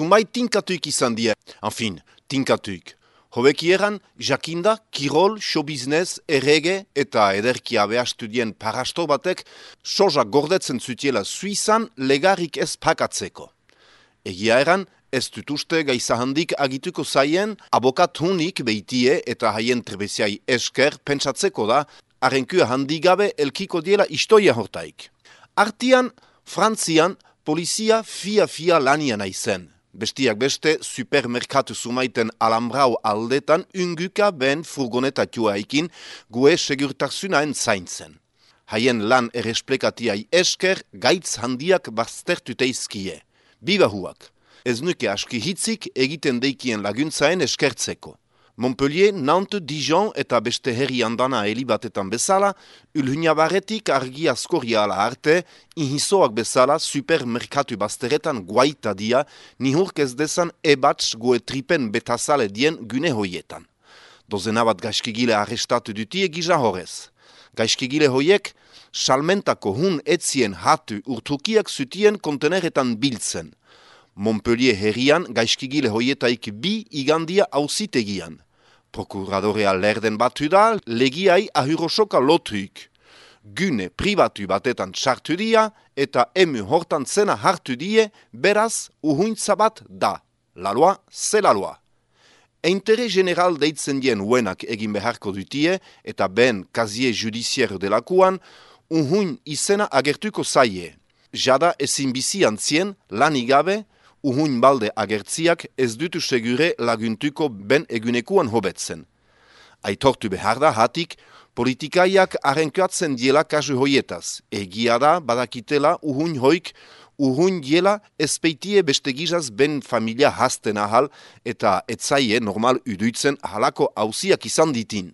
zumai tinkatuik izan die. Enfin, tinkatuik. Hobeki eran, jakinda, kirol, showbusiness, errege eta ederkia behastudien parasto batek soja gordetzen zutiela Suizan legarik ez pakatzeko. Egia eran, ez dut uste gaiza handik agituko zaien abokatunik beitie eta haien trebeziai esker pentsatzeko da arrenkua handigabe elkiko diela istoia hortaik. Artian, Frantzian, polizia fia lanian aizen. Bestiak beste, supermerkatu zumaiten alambrau aldetan unguka ben furgonetatua ikin gue segurtasunaen zaintzen. Haien lan erresplekatiai esker gaitz handiak baztertuteizkie. Bibahuak. Ez nuke aski hitzik egiten deikien laguntzaen eskertzeko. Montpellier, Nantes, Dijon eta beste herri handana helibatetan bezala, ulhunabarretik argi askoria ala arte, inhizoak bezala supermerkatu bazteretan guaita dia, nihurk ez dezan ebatz gue tripen betazale dien gune hoietan. Dozena bat gaizkigile arrestatu dutie gisa horrez. Gaizkigile hoiek, salmentako hun etzien hatu urtukiak zutien konteneretan biltzen. Montpellier herrian gaizkigile hoietaik bi igandia auzitegian. Prokuradorea lerden batu da, legiai ahurosoka lotuik. Gune pribatu batetan txartu dia eta emu hortan zena hartu die, beraz uhuintza bat da. La loi, c'est la loi. Intere general deitzen dien uenak egin beharko dutie eta ben kazie judiziero delakuan, uhuin izena agertuko zaie. Jada ezin bizi antzien, lanigabe, uhuin balde agertziak ez dutu segure laguntuko ben egunekuan hobetzen. Aitortu behar da hatik, politikaiak arrenkatzen diela kasu hoietaz. Egia da badakitela uhuin hoik, uhuin diela ezpeitie beste gizaz ben familia hasten ahal eta etzaie normal uduitzen ahalako hauziak izan ditin.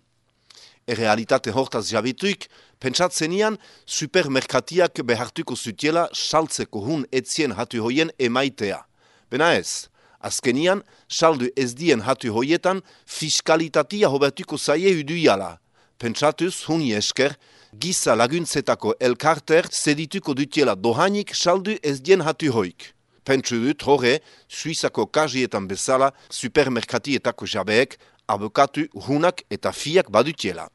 Errealitate hortaz jabituik, pentsatzenian supermerkatiak behartuko zutiela saltzeko hun etzien hatu hoien emaitea. Bena ez, azkenian, saldu ez dien hatu hoietan, fiskalitatia hobertuko zaie uduiala. Pentsatuz, huni esker, giza laguntzetako elkarter zedituko dutiela dohanik saldu ez dien hatu hoik. Pentsu dut horre, Suizako kajietan bezala, supermerkatietako jabeek, abokatu, hunak eta fiak badutiela.